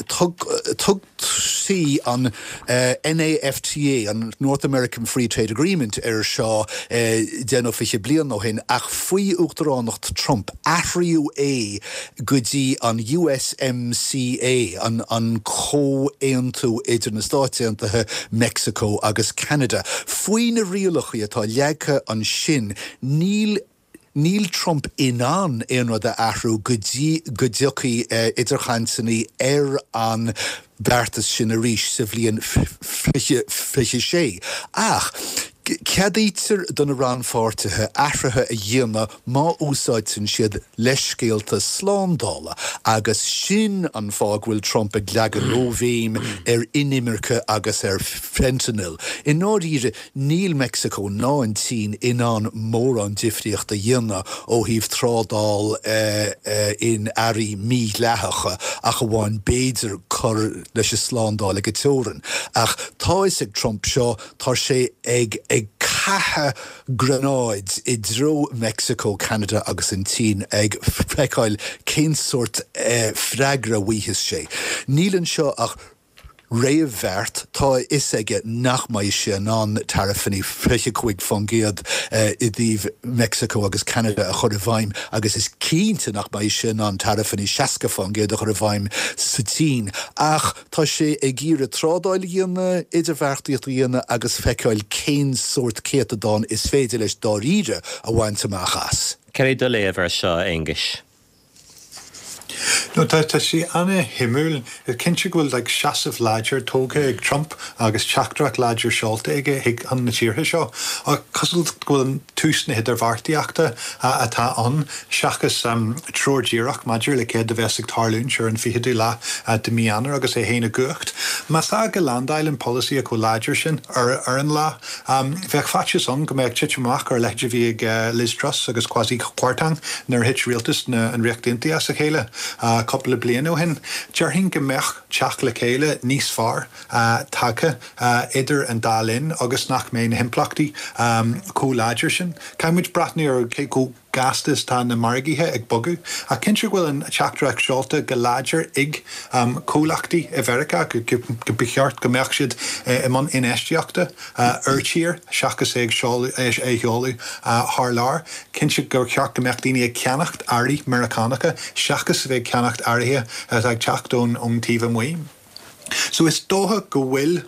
tug, tugtaí an NAFTA, an North American Free Trade Agreement, air seo deich nó 20 bliain ó shin, ach faoi uachtaránacht Trump athraíodh é go dtí an USMCA, an comhaontú idir na Stáit Aontaithe, Meicsiceo agus Ceanada. Faoi na rialacha atá leagtha ansin, níl. Níl Trump in ann aon rud a athrú go dtí go dtiocfaidh idirchainteanna ar an beartas sin arís sa bhliain 2026. Ach ceadaítear do na rannpháirtithe athruithe a dhéanamh má úsáideann siad leithscéalta slándála agus sin an fáth go bhfuil Trump ag leagan róbhéim ar inimirce agus ar fentanyl. I ndáiríre, Níl Meicsiceo ná an tSín in ann mórán difríocht a dhéanamh ó thaobh trádáil in earraí mídhleathacha ach amháin b'fhéidir cur leis an slándáil ag an teorainn. Ach tá a fhios ag Trump seo, tá sé ag ag caitheamh gránáid i dtreo Meicsiceo, Ceanada agus an tSín ag feiceáil cén sórt freagra a bhfaighidh sé. Níl anseo ach réamhbheart, tá a fhios aige nach mbeidh sé in ann taraifeanna 25% i dtaobh Meicsiceo agus Ceanada a chur i bhfeidhm agus is cinnte nach mbeidh sé in ann taraifeanna 60% a chur i bhfeidhm sa tSín. Ach tá sé ag iarraidh trádáil a dhéanamh, idirbheartaíocht a dhéanamh agus feiceáil cén sórt céatadán is féidir leis dáiríre a bhaint amach as. Cad é do léamh air seo, a Aonghuis? No, tá, tá sé ana-shuimiúil. Is cinnte go bhfuil like seasamh láidir tógtha ag Trump agus teachtaireacht láidir seolta aige chuig chun na tíortha seo. Ach cosúil go bhfuil tús na hidirbheartaíochta atá ann seachas treoir díreach maidir le céard a bheas ag tarlúint ar an 20ú lá de mí Eanáir agus é féin i gcumhacht. Más ea go landáileann polasaí chomh láidir sin ar ar an lá, Bheadh faitíos ann go mbeadh titim amach ar a leithéid a bhí ag Liz Truss agus Kwasi Kwarteng nuair a thit rialtas na an Ríocht Aontaithe as a chéile cúpla bliain ó shin. Déarfainn go mbeadh teacht le chéile níos fearr tagtha idir an dá linn agus nach mbeidh na himpleachtaí chomh láidir sin. Caithfidh muid breathnú ar cé chomh gasta is atá na margaithe ag bogadh, ach cinnte go bhfuil an teachtaireacht seolta go láidir ag comhlachtaí i Mheiriceá go ba cheart go mbeadh siad i mbun infheistíochta ar tír seachas é a sheoladh thar lear. Cinnte gur cheart go mbeadh daoine ag ceannacht earraí Meiriceánacha seachas a bheith ag ceannacht earraithe atá ag teacht ón taobh amuigh. So is dócha go bhfuil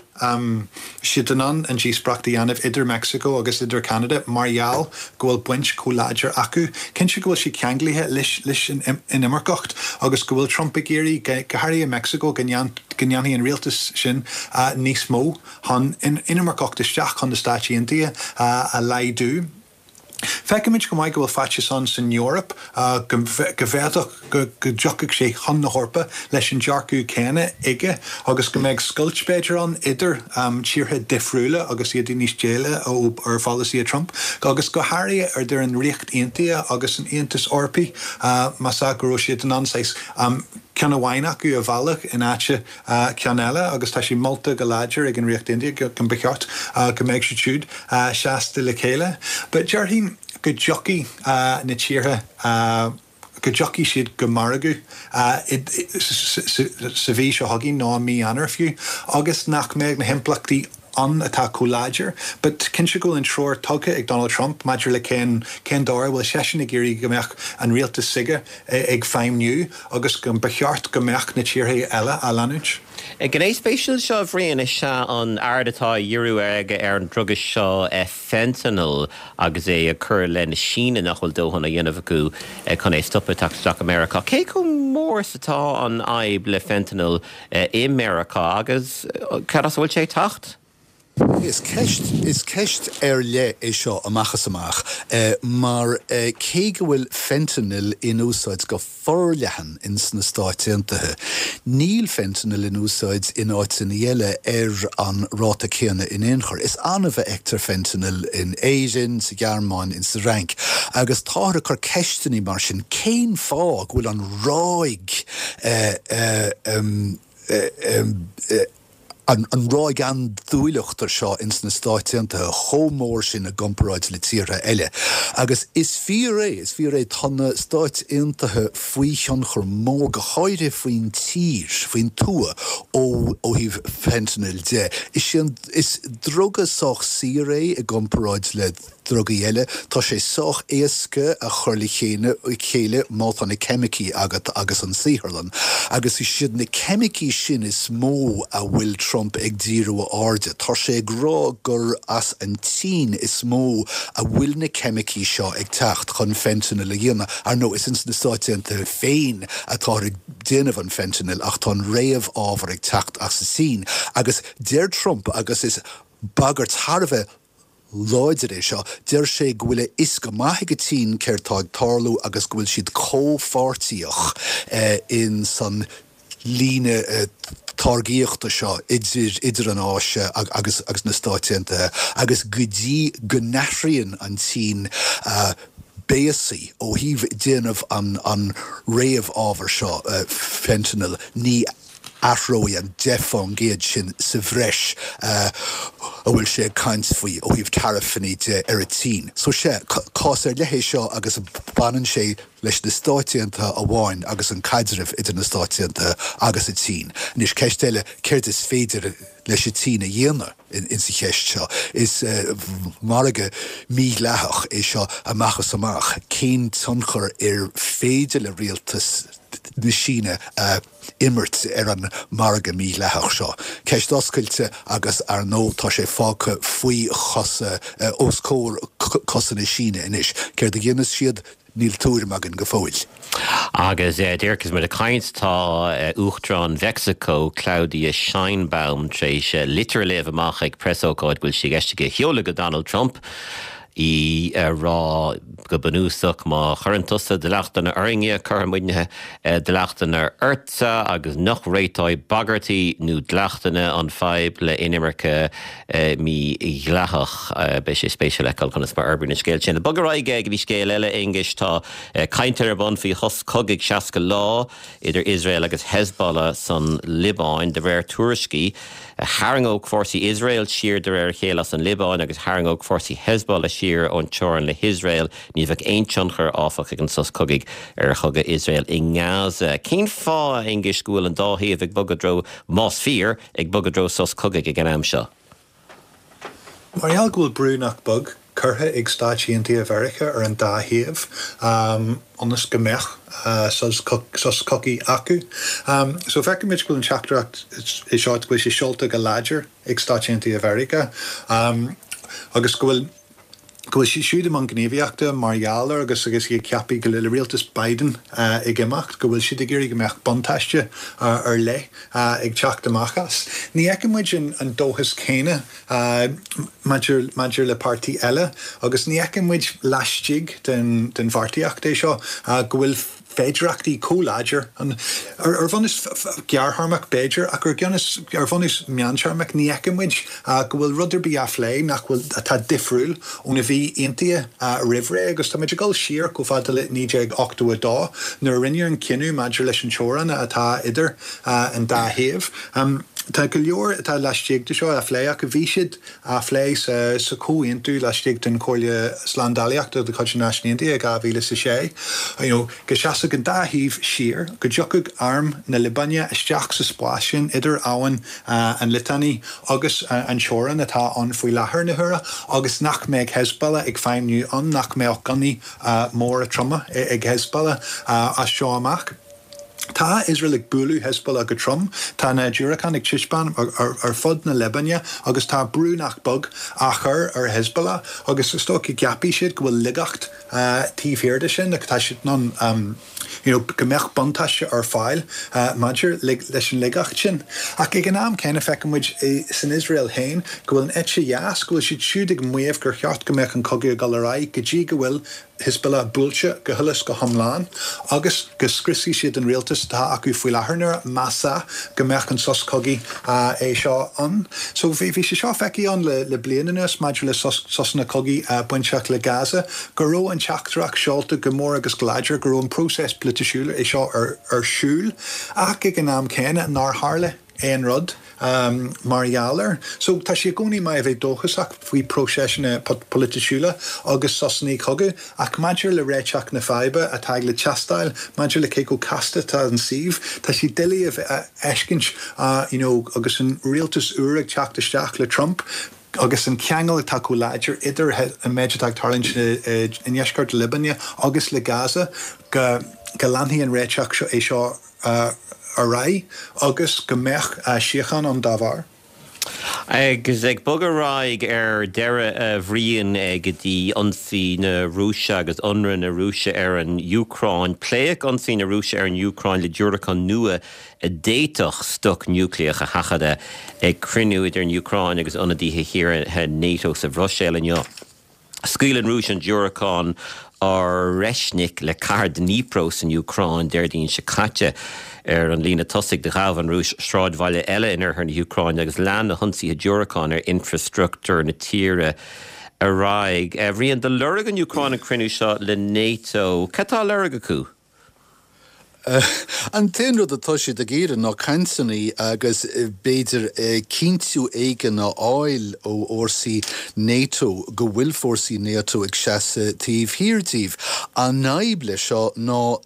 siad in ann an díospóireacht a dhéanamh idir Meicsiceo agus idir Ceanada mar gheall go bhfuil baint chomh láidir acu. Cinnte go bhfuil sé ceanglaithe leis an inimirceacht agus go bhfuil Trump ag iarraidh, go háirithe i Meicsiceo, go ndéanfaidh an rialtas sin níos mó chun inimirceacht isteach chun na Stáit Aontaithe a laghdú. Feicimid go maith go bhfuil faitíos ann san Eoraip go bhféadfadh go dtiocfadh sé chun na hEorpa leis an dearcadh céanna aige agus go mbeadh scoilt b'fhéidir ann idir tíortha difriúla agus iad níos déile ó ar pholasaithe Trump agus go háirithe idir an Ríocht Aontaithe agus an Aontas Eorpaigh más ea go raibh siad in ann saghas ceann amháin acu a mhealladh in áit ceann eile agus tá sé molta go láidir ag an Ríocht Aontaithe go mba cheart go mbeadh siad siúd seasta le chéile. But déarfainn go dtiocfaidh na tíortha, go dtiocfaidh siad go margadh sa mhí seo chugainn nó i mí Eanáir fiú agus nach mbeadh na himpleachtaí ann atá chomh láidir. But cinnte go bhfuil an treoir tugtha ag Donald Trump maidir le cén cén dóigh a bhfuil seisean ag iarraidh go mbeadh an rialtas s'aige ag feidhmniú agus go mba cheart go mbeadh na tíortha eile á leanúint. Gné spéisiúil seo, a Bhriain, is ea an aird atá á dhíriú aige ar an druga seo fentanyl agus é ag cur i leith na Síne nach bhfuil dóthain á dhéanamh acu chun é a stopadh ag teacht isteach i Meiriceá. Cé chomh mór is atá an fhadhb le fentanyl i Meiriceá agus cad as a bhfuil sé ag teacht? Is ceist, is ceist ar leith é seo amach is amach mar cé go bhfuil fentanyl in úsáid go forleathan ins na Stáit Aontaithe, níl fentanyl in úsáid in áiteanna eile ar an ráta céanna in aon chor. Is annamh a fheictear fentanyl in Éirinn, sa Ghearmáin, in sa Fhrainc agus táthar ag cur ceisteanna mar sin, cén fáth go bhfuil an ráig an ráig andúileachta seo ins na Stáit Aontaithe chomh mór sin i gcomparáid le tíortha eile. Agus is fíor é, is fíor é, tá na Stáit Aontaithe faoi thionchar mór, go háirithe faoin tír, faoin tuath, ó thaobh fentanyl de. Is é an, is druga sách saor é i gcomparáid le. drugaí eile. Tá sé sách éasca a chur le chéile má tá na ceimicí agat agus an saotharlann. Agus is iad na ceimicí sin is mó a bhfuil Trump ag díriú a airde. Tá sé ag rá gur as an tSín is mó a bhfuil na ceimicí seo ag teacht chun fentanyl a dhéanamh. Ar ndóigh, is ins na Stáit Aontaithe féin atáthar ag déanamh an fentanyl ach tá an réamh-ábhar ag teacht as an tSín. Agus deir Trump, agus is bagairt thar a bheith láidir é seo. Deir sé go bhfuil a fhios go maith ag an tSín céard tá ag tarlú agus go bhfuil siad comhpháirtíoch in san líne táirgíochta seo idir idir an Áise agus agus na Stáit Aontaithe agus go dtí go n-athraíonn an tSín a béasaí ó thaobh déanamh an an réamh-ábhar seo, fentanyl, ní athróidh an 10% sin sa bhreis a bhfuil sé ag caint faoi ó thaobh taraifeanna de ar an tSín. So sea, cás ar leith é seo agus baineann sé leis na Stáit Aontaithe amháin agus an caidreamh idir na Stáit Aontaithe agus an tSín. Anois, ceist eile, céard is féidir leis an tSín a dhéanamh in sa cheist seo? Is margadh mídhleathach é seo amach is amach. Cén tionchar ar féidir le rialtas na Síne a imirt ar an margadh mídhleathach seo? Ceist oscailte agus ar ndóigh tá sé fágtha faoi chosa, os comhair cosa na Síne anois. Céard a dhéanfas siad? Níl tuairim againn go fóill. Agus díreach agus muid ag caint, tá Uachtarán Mheicsiceo, Claudia Sheinbaum, tar éis litir a léamh amach ag preasócáid go bhfuil sé i gceist aici a sheoladh go Donald Trump. í ag rá go bunúsach má chuireann tusa dleachtanna orainne, cuirfidh muidne dleachtanna ortsa agus nach réiteoidh bagairtí nó dleachtanna an fadhb le inimirce mídhleathach. Beidh sé spéisiúil a fheiceáil conas mar a fhorbraíonn an scéal sin. Bog ar aghaidh go dtí scéal eile, Aonghuis. Tá cainteanna ar bun faoi shos cogaidh 60 lá idir Iosrael agus Hezbollah san Liobáin. De réir tuairiscí, Tharraingeodh fórsaí Iosrael siar de réir a chéile as an Liobáin agus tharraingeodh fórsaí Hezbollah siar ón teorainn le hIosrael. Ní bheadh aon tionchar, áfach, ag an sos cogaidh ar chogadh Iosrael i nGaza. Cén fáth, a Aonghuis, go bhfuil an dá thaobh ag bogadh i dtreo, más fíor, ag bogadh i dtreo sos cogaidh ag an am seo? Mar gheall go bhfuil brú nach beag curtha ag Stáit Aontaithe Mheiriceá ar an dá thaobh ionas go mbeadh sos cogaidh acu. So feicimid go bhfuil an teachtaireacht é seo, go bhfuil sé seolta go láidir ag Stáit Aontaithe Mheiriceá agus go bhfuil go bhfuil siad siúd i mbun gníomhaíochta mar gheall air agus agus iad ag ceapadh go le rialtas Biden ag imeacht go bhfuil siad ag iarraidh go mbeadh buntáiste ar leith ag teacht amach as. Ní fheiceann muid an dóchas céanna maidir maidir le páirtí eile agus ní fheiceann muid laistigh den den bheartaíocht é seo go bhfuil féidearthachtaí chomh láidir ann. Ar bhunús gearrthéarmach b'fhéidir, ach ar bhunús ar bhunús meántéarmach ní fheiceann muid go bhfuil rud ar bith á phlé nach bhfuil atá difriúil óna bhí aontaithe roimh ré agus tá muid ag dul siar chomh fada le 1982 nuair a rinneadh an cinneadh maidir leis an teorainn atá idir an dá thaobh. Tá go leor atá laistigh de seo á phlé ach bhí siad á phlé sa chomhaontú laistigh den Chomhairle Slándálaíochta de chuid na Náisiún Aontaithe i 2006, you know, go seasfadh an dá thaobh siar, go dtiocfadh arm na Liobáine isteach sa spás sin idir abhainn an Litani agus an teorainn atá ann faoi láthair na huaire agus nach mbeadh Hezbollah ag feidhmniú ann, nach mbeadh gunnaí móra troma ag Hezbollah as seo amach. Tá Iosrael ag bualadh Hezbollah go trom, tá na diúracáin ag titim ar fud na Liobáine agus tá brú nach beag á chur ar Hezbollah agus is dócha go gceapfaidh siad go bhfuil laigeacht taobh thiar de sin, tá siad in ann you know go mbeadh buntáiste ar fáil maidir leis an laigeacht sin. Ach ag an am céanna feiceann muid san Iosrael féin go bhfuil an eite dheas, go bhfuil siad siúd ag maíomh gur cheart go mbeadh an cogadh ag dul ar aghaidh go dtí go bhfuil Hezbollah buailte go huile is go hiomlán agus go scriosfaidh siad an rialtas atá acu faoi láthair nuair, más ea, go mbeadh an sos cogaidh é seo ann. So bhí sé seo feicthe ann le bliain anuas maidir le sosanna cogaidh bainteach le Gaza, go raibh an teachtaireacht seolta go mór agus go láidir go raibh an próiseas polaitisiúil é seo ar siúl ach ag an am céanna nár tharla aon rud mar gheall air. So, tá sé i gcónaí maith a bheith dóchasach faoi próiseasanna polaitisiúla agus sosanna cogaidh, ach maidir le réiteach na faidhbe atá ag le teastáil, maidir le cé chomh casta atá an suíomh, tá sé doiligh a fheiscint you know agus an rialtas úr ag teacht isteach le Trump, agus an ceangal atá chomh láidir idir an méid atá ag tarlúint i ndeisceart na Liobáine agus le Gaza, go leanfaidh an réiteach é seo ar aghaidh agus go mbeadh síocháin ann dá bharr. Agus ag bogadh ar aghaidh ar deireadh, a Bhriain, go dtí ionsaí na Rúise agus ionradh na Rúise ar an Úcráin. Pléadh ionsaí na Rúise ar an Úcráin le diúracáin nua a d'fhéadfadh stoc núicléach a sheachadadh ag cruinniú idir an Úcráin agus ionadaithe thíortha NATO sa Bhruiséil inniu. Scaoil an Rúis an diúracán Oreshnik le cathair Dnipro san Úcráin Déardaoin seo caite. Ar an líne tosaigh, do ghabh an Rúis sráidbhaile eile in oirthear na hÚcráine agus lean na hionsaithe diúracán ar infreastruchtúr na tíre ar aghaidh. A Bhriain, do lorg an Úcráin an cruinniú seo le NATO. Cad tá á lorg acu? An t-aon rud atá siad ag iarraidh ná cainteanna agus b'fhéidir cinntiú éigin a fháil ó fhórsaí NATO go bhfuil fórsaí NATO ag seasamh taobh thiar díobh. An fhadhb leis seo ná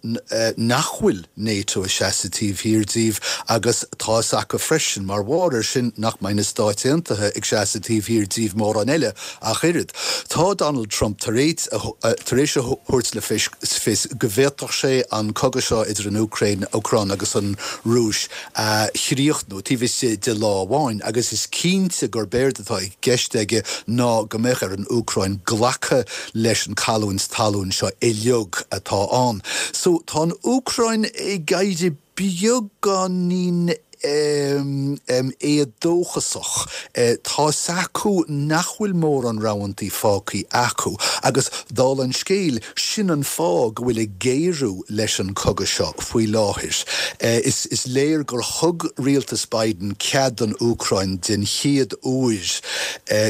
nach bhfuil NATO ag seasamh taobh thiar díobh agus tá fhios acu freisin mar bharr air sin nach mbeidh na Stáit Aontaithe ag seasamh taobh thiar díobh mórán eile Ach oiread, tá Donald Trump tar éis a thabhairt le fios go bhféadfadh sé an cogadh seo idir an Úcráin agus an Rúis a chríochnú taobh istigh de lá amháin agus is cinnte gurb éard atá i gceist aige ná go mbeadh ar an Úcráin glacadh leis an cailliúint talún seo uilig atá ann. So tá an Úcráin ag éirí beagáinín éadóchasach. Tá 's acu nach bhfuil mórán roghantaí fágthaí acu agus, dála an scéil, sin an fáth go bhfuil ag géarú leis an cogadh seo faoi láthair. Is léir gur thug rialtas Biden cead don Úcráin den chéad uair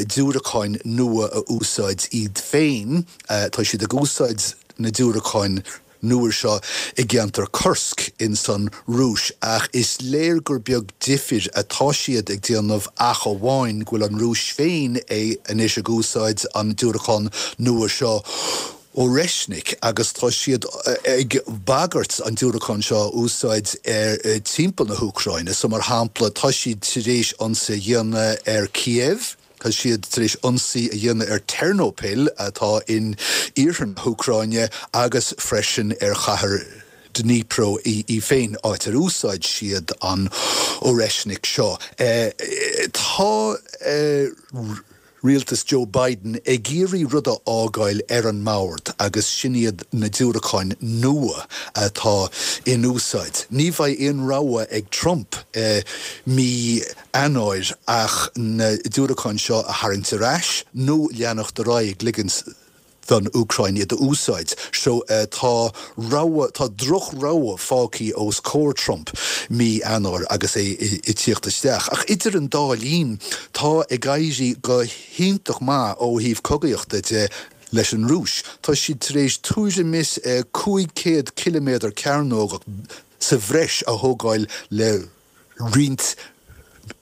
diúracáin nua a úsáid iad féin. Tá siad ag úsáid na diúracáin nua seo i gceantar Kursk ins an Rúis ach is léir gur beag difir atá siad ag déanamh ach amháin go bhfuil an Rúis féin anois ag úsáid an diúracán nua seo Oreshnik agus tá siad ag bagairt an diúracán seo a úsáid ar timpeall na hÚcráine so mar shampla tá siad tar éis ionsaí a dhéanamh ar Kiev. Tá siad tar éis ionsaí a dhéanamh ar Ternopil, atá in iarthar na hÚcráine, agus freisin ar chathair Dnipro í féin, áit ar úsáid siad an Oreshnik seo. Tá rialtas Joe Biden ag iarraidh rud a fhágáil ar an mbord agus sin iad na diúracáin nua atá in úsáid. Ní bheidh aon rogha ag Trump mí Eanáir ach na diúracáin seo a tharraingt ar ais nó leanacht ar aghaidh ag ligint don Úcráin iad a úsáid. So tá rogha, tá droch-rogha fágthaí os comhair Trump mí Eanáir agus é ag tíocht isteach. Ach idir an dá linn tá ag éirí go hiontach maith ó thaobh cogaíochta de leis an Rúis. Tá siad tar éis tuairim is 500 ciliméadar cearnógach sa bhreis a thógáil le roinnt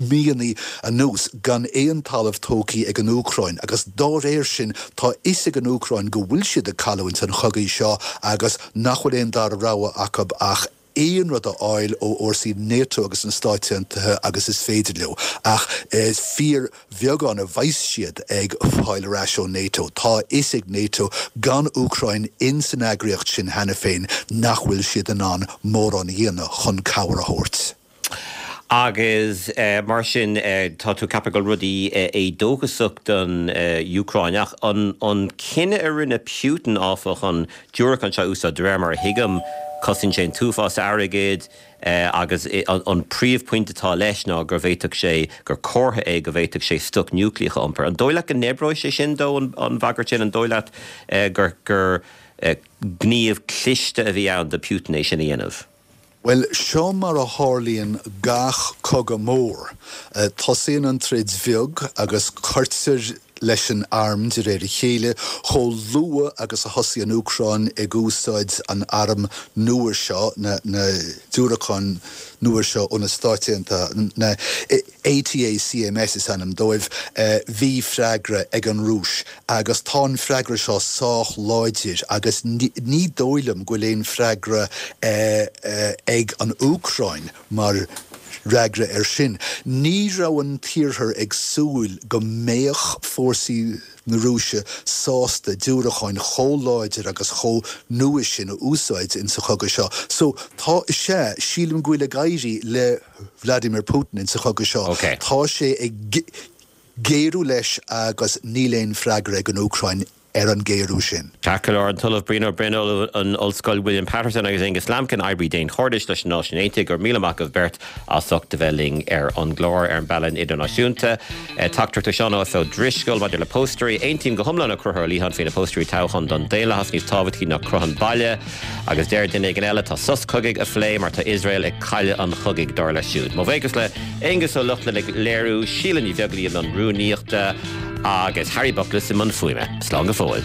míonna anuas gan aon talamh tógthaí ag an Úcráin agus dá réir sin tá fhios ag an Úcráin go bhfuil siad ag cailliúint an chogaidh seo agus nach bhfuil aon dara rogha acu ach. aon rud a fháil ó fhórsaí NATO agus na Stáit Aontaithe agus is féidir leo, ach is fíor bheagán a bheas siad ag fáil ar ais ó NATO. Tá a fhios ag NATO, gan Úcráin ins an eagraíocht sin cheana féin, nach bhfuil siad in ann mórán a dhéanamh chun cabhair a thabhairt. Agus mar sin, tá tú ag ceapadh go bhfuil rudaí éadóchasach don Úcráin. Ach an cinneadh a rinne Putin, áfach, an diúracán seo a úsáid, de réir mar a thuigim, cosnaíonn sé an t-uafás airgid agus an príomhphointe atá leis ná go bhféadfadh sé, gur comhartha é go bhféadfadh sé stoc núicléach a iompar. An dóigh leat go n-oibreoidh sé sin dó, an bhagairt sin? An dóigh leat gur gníomh cliste a bhí ann do Putin é sin a dhéanamh? Bhuel, seo mar a tharlaíonn gach cogadh mór. Tosaíonn an troid bheag agus cuirtear leis an arm de réir a chéile. Chomh luath agus a thosaigh an Úcráin ag úsáid an airm nua seo, na diúracáin nua seo ó na Stáit Aontaithe, na ATACMS is ainm dóibh, bhí freagra ag an Rúis agus tá an freagra seo sách láidir agus ní dóigh liom go bhfuil aon freagra ag an Úcráin mar fhreagra air sin. Ní raibh an tIarthar ag súil go mbeadh fórsaí na Rúise sásta diúracáin chomh láidir agus chomh nua sin a úsáid insa chogadh seo. So, tá, is ea, sílim go bhfuil ag éirí le Vladimir Putin insa chogadh seo. Tá sé ag géarú leis agus níl aon freagra ag an Úcráin ar an ghéarú sin. Ceart go leor, an tOllamh Brian Ó Broin, Ollamh in Ollscoil William Paterson agus Aonghus Lambkin, oibrí daonchairdis leis na Náisiúin Aontaithe, go raibh míle maith agaibh beirt as ucht a bheith linn ar an gclár ar an bPlean Idirnáisiúnta. Teachtaireacht ó Seán Ó Drisceoil maidir le póstaeirí. Aontaím go hiomlán le Conchúr Ó Liatháin faoi na póstaeirí toghcháin don daonlathas níos tábhachtaí ná cruth an bhaile. Agus deir duine éigin eile, tá sos cogaidh á phlé mar tá Iosrael ag cailleadh an chogaidh, dar leis siúd. Mo bhuíochas le Aonghus Ó Lochlainn ag léiriú, Síle Ní Bheaglaoí i mbun rúnaíochta agus Harry Buckless i mbun fuaime. Slán go fóill.